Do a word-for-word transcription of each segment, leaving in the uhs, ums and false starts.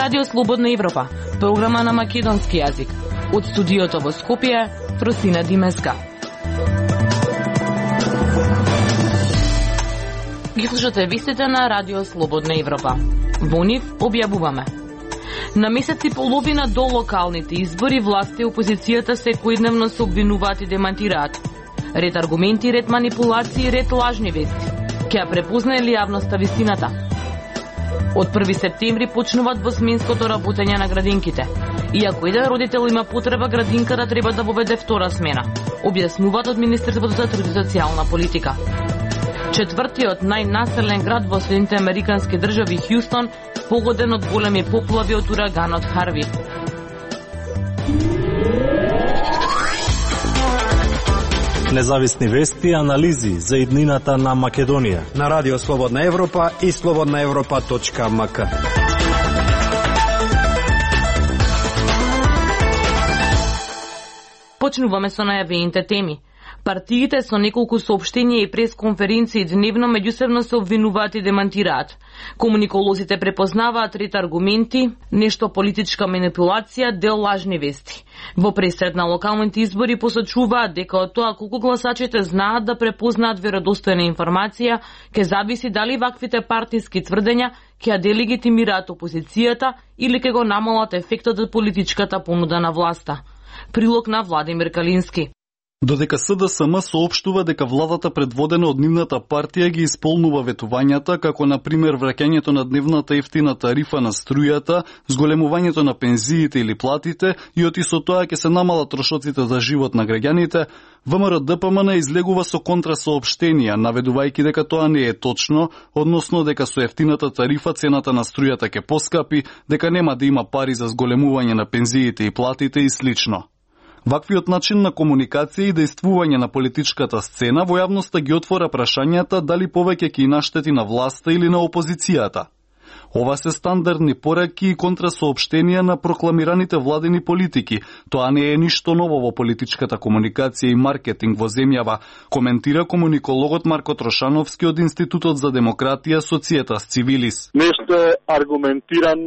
Радио Слободна Европа, програма на македонски јазик. Од студиото во Скопје, Фросина Димеска. Ги слушате вестите на Радио Слободна Европа. Во нив објавуваме. На месец и половина до локалните избори, власта и опозицијата секојдневно се обвинуваат и демантираат. Ред аргументи, ред манипулации, ред лажни вести. Ке ја препознае ли јавноста вистината? Од први септември почнуваат двосменското работење на градинките. Иако еден родител има потреба, градинката треба да воведе втора смена, објаснуваат од Министерството за труд и социјална политика. Четвртиот најнаселен град во Соединетите Американски држави, Хјустон, погоден од големи поплави од ураганот Харви. Независни вести и анализи за иднината на Македонија на Радио Слободна Европа и слободна европа точка ем ка. Почнуваме со најавените теми. Партиите со неколку соопштенија и пресконференции дневно меѓусебно се обвинуваат и демантираат. Комуниколозите препознаваат ред аргументи, нешто политичка манипулација, дел лажни вести. Во пресред на локалните избори посочуваат дека од тоа колку гласачите знаат да препознаат веродостојна информација, ќе зависи дали ваквите партиски тврдења ќе ја делегитимираат опозицијата или ќе го намалат ефектот од политичката понуда на власта. Прилог на Владимир Калински. Додека С Д С М соопштува дека владата предводена од нивната партија ги исполнува ветувањата, како на пример враќањето на дневната ефтина тарифа на струјата, зголемувањето на пензиите или платите и оти со тоа ќе се намалат трошоците за живот на граѓаните, В М Р Д П М Н излегува со контрасоопштенија, наведувајќи дека тоа не е точно, односно дека со ефтината тарифа цената на струјата ќе поскапи, дека нема да има пари за зголемување на пензиите и платите и слично. Ваквиот начин на комуникација и дејствување на политичката сцена во јавноста ги отвора прашањата дали повеќе ќе наштети на власта или на опозицијата. Ова се стандардни пораки и контрасоопштенија на прокламираните владени политики. Тоа не е ништо ново во политичката комуникација и маркетинг во земјава, коментира комуникологот Марко Трошановски од Институтот за демократија Societas Civilis. Нешто е аргументиран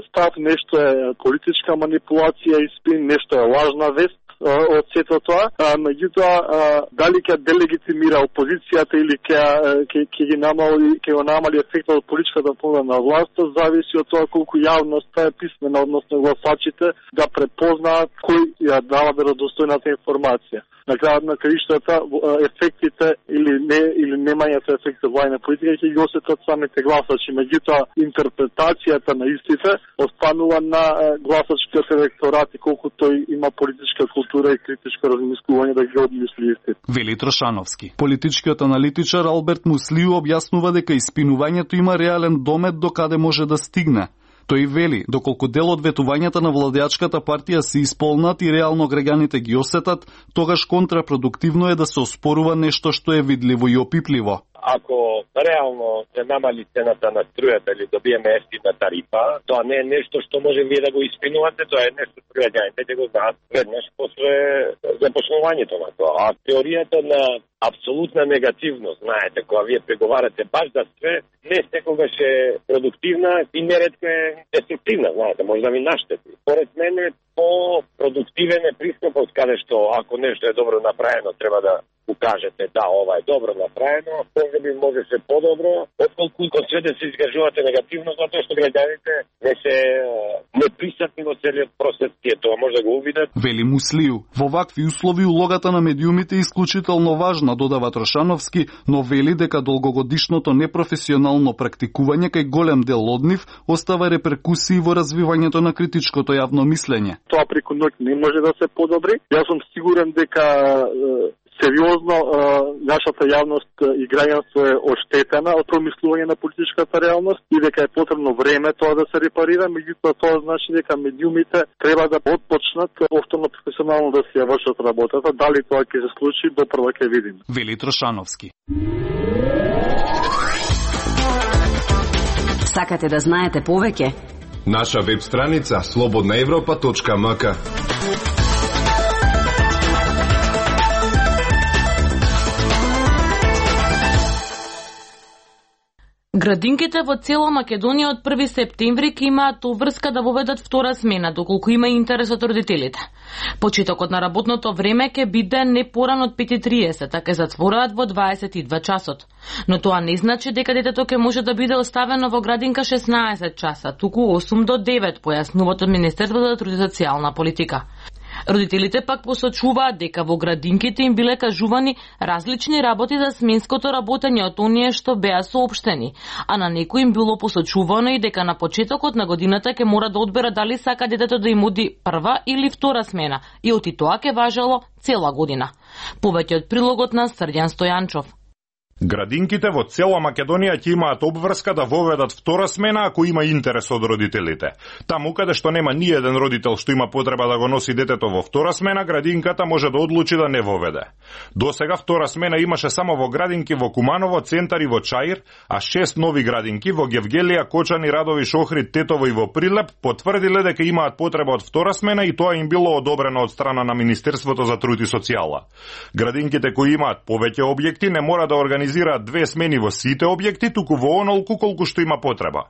став, нешто е политичка манипулација и спин, нешто е лажна вест од сето тоа, меѓутоа дали ќе делегитимира опозицијата или ќе ќе ги намали ќе го намали ефектот од политичката понуда на власта, зависи од тоа колку јавноста е писмена, односно гласачите да препознаат кој ја дава веродостојната информација. На крајот на краиштата ефектите или не или немањето ефекти владина политика ќе ги осетат самите гласачи, меѓутоа интерпретацијата на истите останува на гласачкиот електорат и колку тој има политичка култура и критичко размислување да ги одмисли истите. Вели Трошановски. Политичкиот аналитичар Алберт Муслиу објаснува дека испинувањето има реален домет до каде може да стигне. Тој вели, доколку дел од ветувањата на владеачката партија се исполнат и реално граѓаните ги осетат, тогаш контрапродуктивно е да се оспорува нешто што е видливо и опипливо. Ако реално се намали цената на струјата или добиеме ефтина тарифа, тоа не е нешто што може вие да го испинувате, тоа е нешто што граѓаните ќе го знаат веднаш после започнувањето на тоа. А теоријата на апсолутна негативност, знаете, кога вие преговарате баш за све, не секогаш е продуктивна и неретко е деструктивна, знаете, може да ви наштети. Поред мене по-продуктивен е пристапот каде што ако нешто е добро направено, треба да кажете да, ова е добро направено, може би може се подобро, отколку кога све да се изгажувате негативно, затоа што граѓаните не се неприсатни во целиот процес, тие тоа може да го увидат. Вели Муслиу, во вакви услови улогата на медиумите е исклучително важна, додава Трошановски, но вели дека долгогодишното непрофесионално практикување кај голем дел од нив остава реперкусии во развивањето на критичкото јавно мислење. Тоа преку ноќ не може да се подобри. Јас сум сигурен дека сериозно нашата јавност и граѓанство е оштетена од промислување на политичката реалност и дека е потребно време тоа да се репарира, меѓутоа тоа значи дека медиумите треба да отпочнат повторно професионално да се вршат работата. Дали тоа ќе се случи, допрва ќе видиме. Вели Трошановски. Сакате да знаете повеќе? Наша веб страница слободна европа точка ем ка. Градинките во цела Македонија од први септември ќе имаат обврска да воведат втора смена, доколку има интерес од родителите. Почетокот на работното време ќе биде не порано од пет и триесет, а ќе затвораат во дваесет и два часот. Но тоа не значи дека детето ќе може да биде оставено во градинка шеснаесет часа, туку осум до девет, појаснуваат од Министерството за труд и социјална политика. Родителите пак посочуваат дека во градинките им биле кажувани различни работи за сменското работење од оние што беа соопштени, а на некои им било посочувано и дека на почетокот на годината ќе мора да одбера дали сака детето да им оди прва или втора смена, и оти тоа ќе важело цела година. Повеќе од прилогот на Срдјан Стојанчов. Градинките во цела Македонија ќе имаат обврска да воведат втора смена ако има интерес од родителите. Таму каде што нема ни еден родител што има потреба да го носи детето во втора смена, градинката може да одлучи да не воведе. Досега втора смена имаше само во градинки во Куманово, Центар и во Чаир, а шест нови градинки во Гевгелија, Кочани, Радови, Шохрид, Тетово и во Прилеп потврдиле дека имаат потреба од втора смена и тоа им било одобрено од страна на Министерството за труд и социјала. Градинките кои имаат повеќе објекти не мора да организираат две смени во сите објекти, туку во онолку колку што има потреба.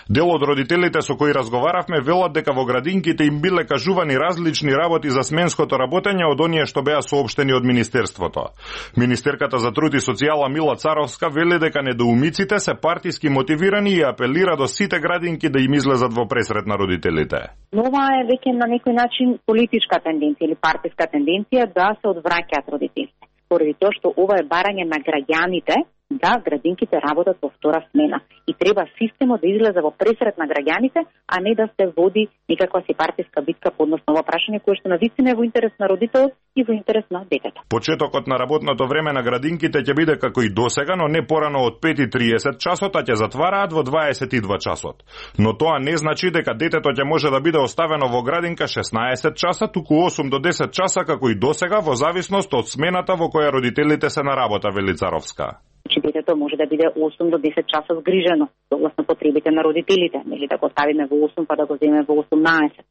Дел од родителите со кои разговаравме велат дека во градинките им биле кажувани различни работи за сменското работење од оние што беа соопштени од Министерството. Министерката за труд и социјала Мила Царовска вели дека недоумиците се партиски мотивирани и апелира до сите градинки да им излезат во пресрет на родителите. Ова е веќе на некој начин политичка тенденција или партиска тенденција да се одвраќаат родителите. Поради тоа што ова е барање на граѓаните да градинките работат во втора смена и треба системот да излезе во пресрет на граѓаните, а не да се води никаква си партиска битка по однос на ова прашање кое што навистина е во интерес на родителот и во интерес на детето. Почетокот на работното време на градинките ќе биде како и досега, но не порано од пет и триесет часот, а ќе затвараат во дваесет и два часот. Но тоа не значи дека детето ќе може да биде оставено во градинка шеснаесет часа, туку осум до десет часа како и досега во зависност од смената во која родителите се на работа, вели Царовска. Че детето може да биде осум до десет часа згрижено, согласно потребите на родителите, нели да го ставиме во осум па да го земеме во осумнаесет.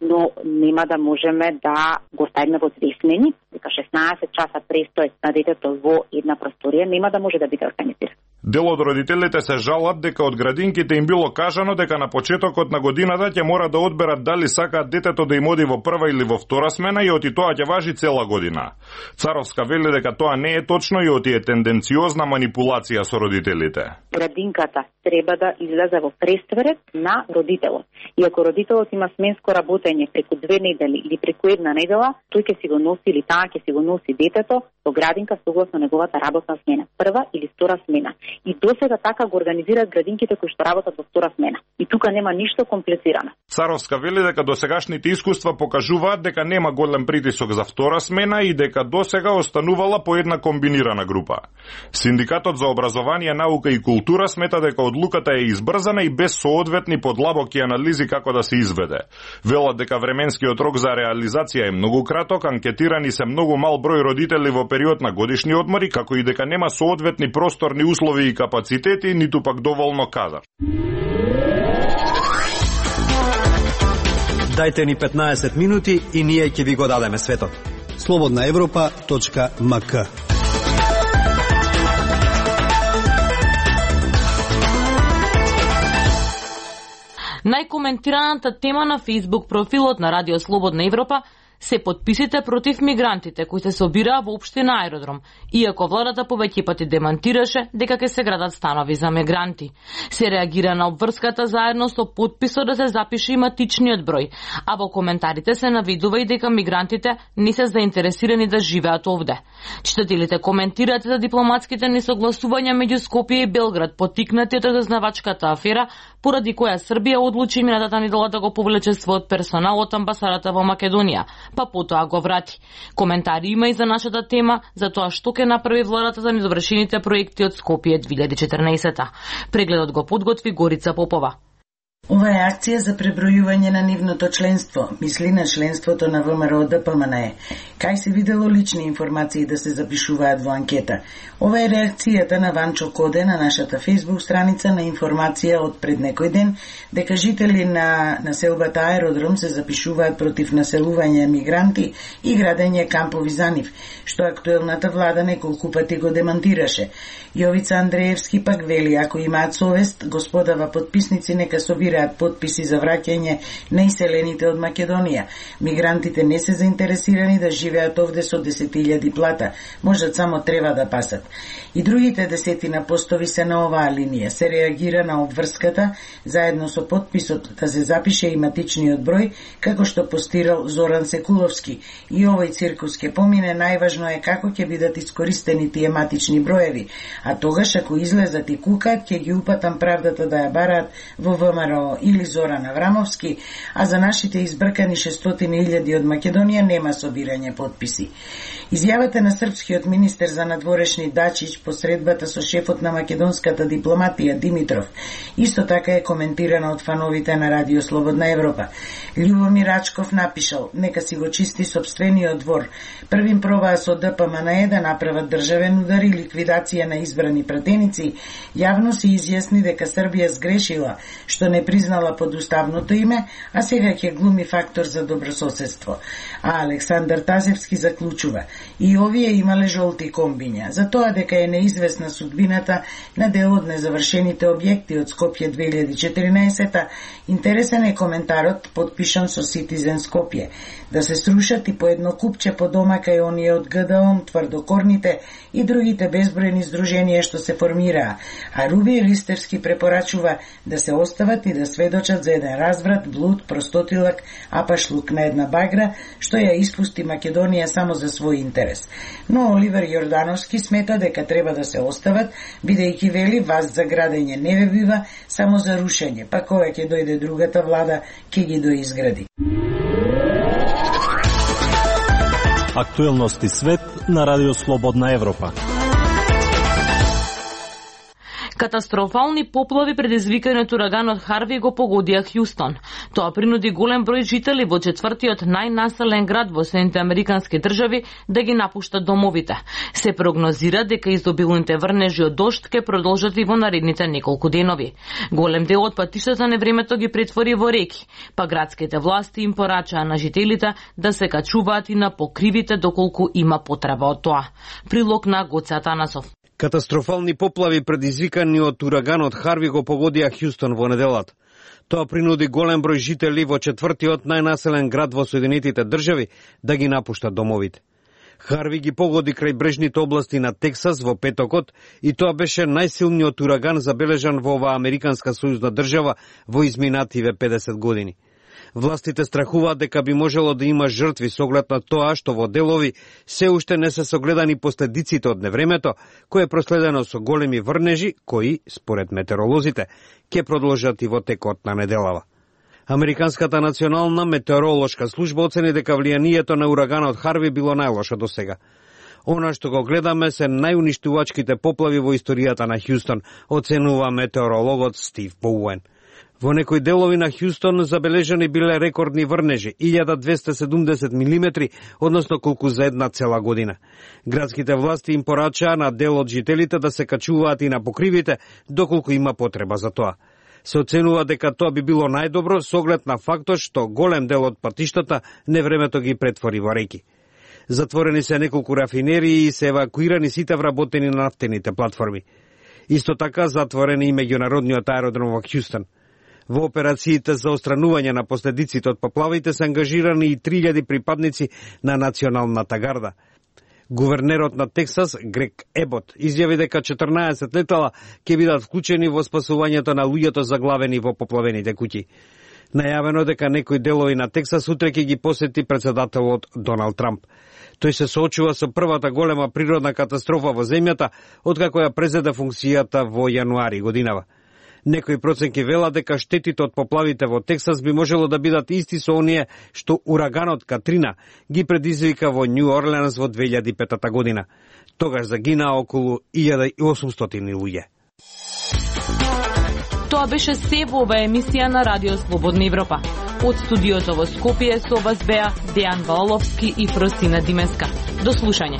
Но нема да можеме да го ставиме во две смени, дека шеснаесет часа престој на детето во една просторија нема да може да биде организиран. Дел од родителите се жалат дека од градинките им било кажано дека на почетокот на годината ќе мора да одберат дали сакаат детето да им оди во прва или во втора смена и оти тоа ќе важи цела година. Царовска вели дека тоа не е точно и оти е тенденциозна манипулација со родителите. Градинката треба да излезе во пресврет на родителот. И ако родителот има сменско работење преку две недели или преку една недела, тој ќе си го носи или таа ќе си го носи детето во градинка согласно неговата работна смена, прва или втора смена. И досега така го организираат градинките кои што работат во втора смена. И тука нема ништо комплицирано. Царовска вели дека досегашните искуства покажуваат дека нема голем притисок за втора смена и дека досега останувала по една комбинирана група. Синдикатот за образование, наука и култура смета дека одлуката е избрзана и без соодветни подлабоки анализи како да се изведе. Велат дека временскиот рок за реализација е многу краток, анкетирани се многу мал број родители во период на годишни одмори, како и дека нема соодветни просторни услови и капацитети, ниту пак доволно кадар. Дајте ни петнаесет минути и ние ќе ви го дадеме светот. слободна европа точка ем ка. Најкоментираната тема на Facebook профилот на Радио Слободна Европа се подписите против мигрантите кои се собираа во општина Аеродром, иако владата повеќе пати демантираше дека ќе се градат станови за мигранти. Се реагира на обврската заедно со подписот да се запише и матичниот број, а во коментарите се навидува и дека мигрантите не се заинтересирани да живеат овде. Читателите коментираат за дипломатските несогласувања меѓу Скопје и Белград, поттикнати од разузнавачката афера, поради која Србија одлучи минатата недела да го повлече својот персонал од амбасадата во Македонија, па потоа го врати. Коментари има и за нашата тема, за тоа што ќе направи владата за недовршените проекти од Скопје две илјади и четрнаесета. Прегледот го подготви Горица Попова. Ова е акција за пребројување на нивното членство, мисли на членството на ВМРО Д П М Н Е. Кај се видело лични информации да се запишуваат во анкета. Ова е реакцијата на Ванчо Коде на нашата фейсбук страница на информација од пред некој ден, дека жители на населбата Аеродром се запишуваат против населување мигранти и градење кампови за нив, што актуелната влада неколку пати го демантираше. Јовица Андреевски пак вели, ако имаат совест, господава подписници нека собираат подписи за враќање на иселените од Македонија. Мигрантите не се заинтересирани да живеат овде со десет илјади плата, можат само треба да пасат. И другите десетина постови се на оваа линија. Се реагира на обврската, заедно со подписот да се запише и матичниот број, како што постирал Зоран Секуловски. И овој циркус ке помине, најважно е како ќе бидат искористени тие матични броеви, а тогаш ако излезат и кукаат, ќе ги упатам правдата да ја бараат во В М Р О или Зоран Аврамовски, а за нашите избркани шестстотини илјади од Македонија нема собирање подписи. Изјавата на српскиот министер за надворешни Дачич по средбата со шефот на македонската дипломатија Димитров исто така е коментирана од фановите на Радио Слободна Европа. Љубомир Рачков напишал: нека си го чисти сопствениот двор. Првим пробаа со Д П М Н Е да направат државен удар и ликвидација на избрани пратеници, јавно се изјасни дека Србија сгрешила што не признала подуставното име, а сега ќе глуми фактор за добрососедство. А Александар Тазевски заклучува: и овие имале жолти комбиња, за тоа дека е неизвестна судбината на дел од незавршените објекти од Скопје две илјади и четиринаесета, интересен е коментарот подпишан со Citizen Скопје, да се срушат и по едно купче по дома кај оние од Г Д О М, тврдокорните и другите безбројни здруженија што се формираа, а Руби Ристевски препорачува да се остават и да сведочат за еден разврат, блуд, простотилак, апашлук на една багра, што ја испусти Македонија само за свој интерес. Но Оливер Јордановски смета дека треба да се остават, бидејќи вели вас за градење не ве бива, само за рушење, па кога ќе дојде другата влада, ќе ги доизгради. Актуелности свет на Радио Слободна Европа. Катастрофални поплави предизвикани од ураганот Харви го погодија Хјустон. Тоа принуди голем број жители во четвртиот најнаселен град во Соединетите Американски држави да ги напуштат домовите. Се прогнозира дека изобилните врнежи од дожд ќе продолжат и во наредните неколку денови. Голем дел од патиштата на времето ги претвори во реки, па градските власти им порачаа на жителите да се качуваат и на покривите доколку има потреба од тоа. Прилог на Гоце Атанасов. Катастрофални поплави предизвикани од ураганот Харви го погодија Хјустон во неделата. Тоа принуди голем број жители во четвртиот најнаселен град во Соединетите држави да ги напуштат домовите. Харви ги погоди крај брежните области на Тексас во петокот и тоа беше најсилниот ураган забележан во оваа американска сојузна држава во изминативе педесет години. Властите страхуваат дека би можело да има жртви со оглед на тоа што во делови се уште не се согледани последиците од невремето, кое е проследено со големи врнежи, кои, според метеоролозите, ќе продолжат и во текот на неделава. Американската национална метеоролошка служба оцени дека влијанието на ураганот Харви било најлошо до сега. Она што го гледаме се најуништувачките поплави во историјата на Хјустон, оценува метеорологот Стив Боуен. Во некои делови на Хјустон забележани биле рекордни врнежи, илјада двесте седумдесет милиметри, односно колку за една цела година. Градските власти им порачаа на дел од жителите да се качуваат и на покривите, доколку има потреба за тоа. Се оценува дека тоа би било најдобро со оглед на фактот што голем дел од патиштата невремето ги претвори во реки. Затворени се неколку рафинерии и се евакуирани сите вработени на нафтените платформи. Исто така затворени и меѓународниот аеродром во Хјустон. Во операциите за отстранување на последиците од поплавите се ангажирани и три илјади припадници на Националната гарда. Гувернерот на Тексас, Грег Ебот, изјави дека четрнаесет летала ќе бидат вклучени во спасувањето на луѓето заглавени во поплавените куќи. Најавено дека некои делови на Тексас утре ќе ги посети председателот Доналд Трамп. Тој се соочува со првата голема природна катастрофа во земјата откако ја презеде функцијата во јануари годинава. Некои проценки велат дека штетите од поплавите во Тексас би можело да бидат исти со оние што ураганот Катрина ги предизвика во Њу Орлеанс во две илјади и пета година. Тогаш загинаа околу илјада и осумстотини луѓе. Тоа Тоа беше се во ова емисија на Радио Слободна Европа. Од студиото во Скопје со вас беа Дејан Валовски и Фросина Димеска. До слушање.